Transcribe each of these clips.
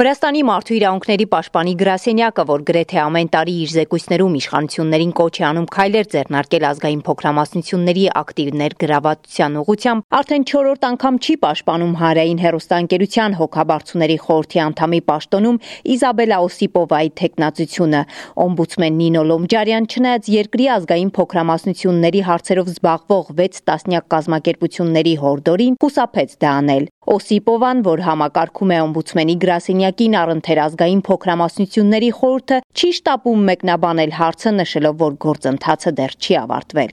Վրաստանի մարդու իրավունքների պաշտպանի գրասենյակը, որ գրեթե ամեն տարի իր զեկույցներում իշխանություններին կոչ է անում քայլեր ձեռնարկել ազգային փոքրամասնությունների ակտիվ ներգրավվածության ուղղությամբ, արդեն 4-րդ անգամ չի պաշտպանում հանրային հեռուստաընկերության հոգաբարձուների խորհրդի անդամի պաշտոնում Իզաբելա Օսիպովայի թեկնածությունը։ Օմբուդսմեն Նինո Լոմջարյան, չնայած երկրի ազգային փոքրամասնությունների հարցերով զբաղվող 6 տասնյակ կազմակերպությունների հորդորին, խուսափեց դա անել։ Օսիպովան, որ համակարգում է օմբուդսմենի գրասենյակին առընթեր ազգային փոքրամասնությունների խորհուրդը, չի շտապում մեկնաբանել հարցը, նշելով, որ գործընթացը դեռ չի ավարտվել։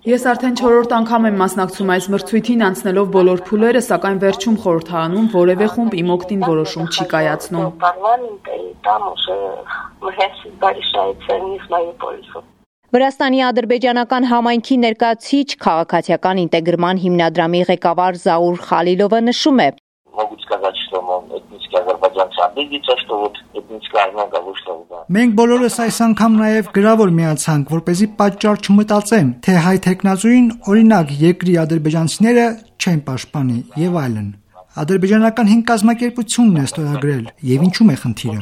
Ես արդեն 4-րդ անգամ եմ մասնակցում այս մրցույթին, անցնելով բոլոր փուլերը, սակայն վերջում խորհրդարանում որևէ խումբ իմ օգտին որոշում չի կայացնում։ Վրաստանի ադրբեջանական համայնքի ներկայացուցիչ քաղաքացիական ինտեգրման հիմնադրամի ղեկավար Զաուր Խալիլովը նշում է. Մենք բոլորս այս անգամ նաև գրավոր միացանք, որպեսզի պատճառ չմտածեն, թե հայ թեկնածուին օրինակ երկրի ադրբեջանցիները չեն պաշտպանի եւ այլն։ Ադրբեջանական 5 կազմակերպությունն է ստորագրել եւ ինչու՞մ է խնդիրը։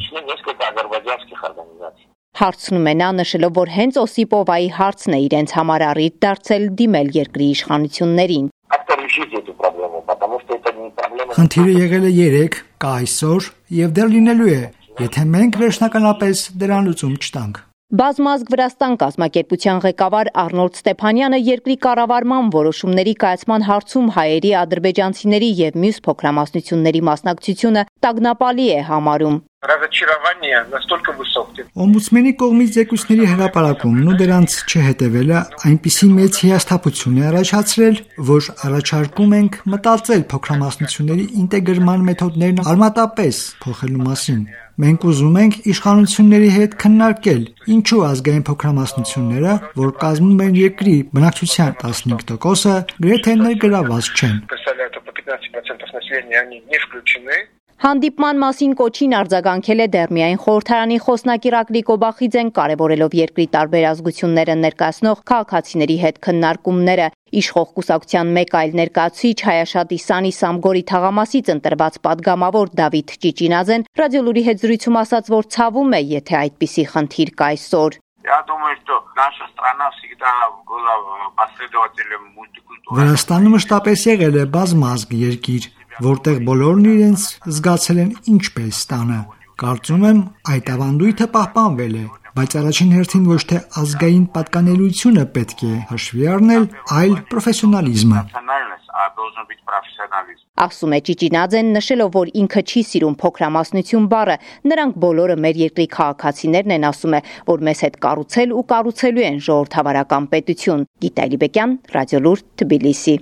Հարցնում է նա, նշելով, որ հենց Օսիպովայի հարցն է իրենց համար առիթ դարձել դիմել երկրի իշխանություններին։ Խնդիրը եղել է 3, կա այսօր եւ դեռ լինելու է, եթե մենք վերջնականապես դրան լուծում չտանք։ Բազմազգ Վրաստան կազմակերպության ղեկավար Արնոլդ Ստեփանյանը երկրի կառավարման որոշումների կայացման հարցում հայերի, ադրբեջանցիների եւ մյուս փոքրամասնությունների մասնակցությունը տագնապալի է համարում։ Օմբուդսմենի կողմից զեկույցների հրապարակումն ու դրանց չհետևելը այնպիսի մեծ հիասթափություն է առաջացրել, որ առաջարկում ենք մտածել փոքրամասնությունների ինտեգրման մեթոդներն արմատապես փոխելու մասին։ Մենք ուզում ենք իշխանությունների հետ քննարկել, ինչու ազգային փոքրամասնությունները, որ կազմում են երկրի բնակչության 15%-ը, գրեթե ներգրավված չեն։ Հանդիպման մասին կոչին արձագանքել է դեռ միայն խորհրդարանի խոսնակ Իրակլի Կոբախիձեն, կարևորելով երկրի տարբեր ազգությունները ներկայացնող քաղաքացիների հետ քննարկումները։ Իշխող կուսակցության մեկ այլ ներկայացուցիչ Հայաշատ Իսանի Սամգորի թաղամասից ընտրված падգամավոր Դավիթ Ճիճինաձեն ռադիոլուրի հետ զրույցում ասաց, որ ցավում է, եթե այդպիսի խնդիր կա այսօր։ Վրաստանը մշտապես եղել է բազմազգ երկիր, որտեղ բոլորն իրենց զգացել են ինչպես տանը։ Կարծում եմ, այդ ավանդույթը պահպանվել է, բայց առաջին հերթին ոչ թե ազգային պատկանելիությունը պետք է հաշվի առնել, այլ պրոֆեսիոնալիզմը։ Ասում է Ճիճինաձեն, նշելով, որ ինքը չի սիրում փոքրամասնություն բառը, նրանք բոլորը մեր երկրի քաղաքացիներն են, ասում է, որ մեզ հետ կառուցել ու կառուցելու են ժողովրդավարական պետություն։ Գիտալի Բեկյան, Ռադիոլուր, Թբիլիսի։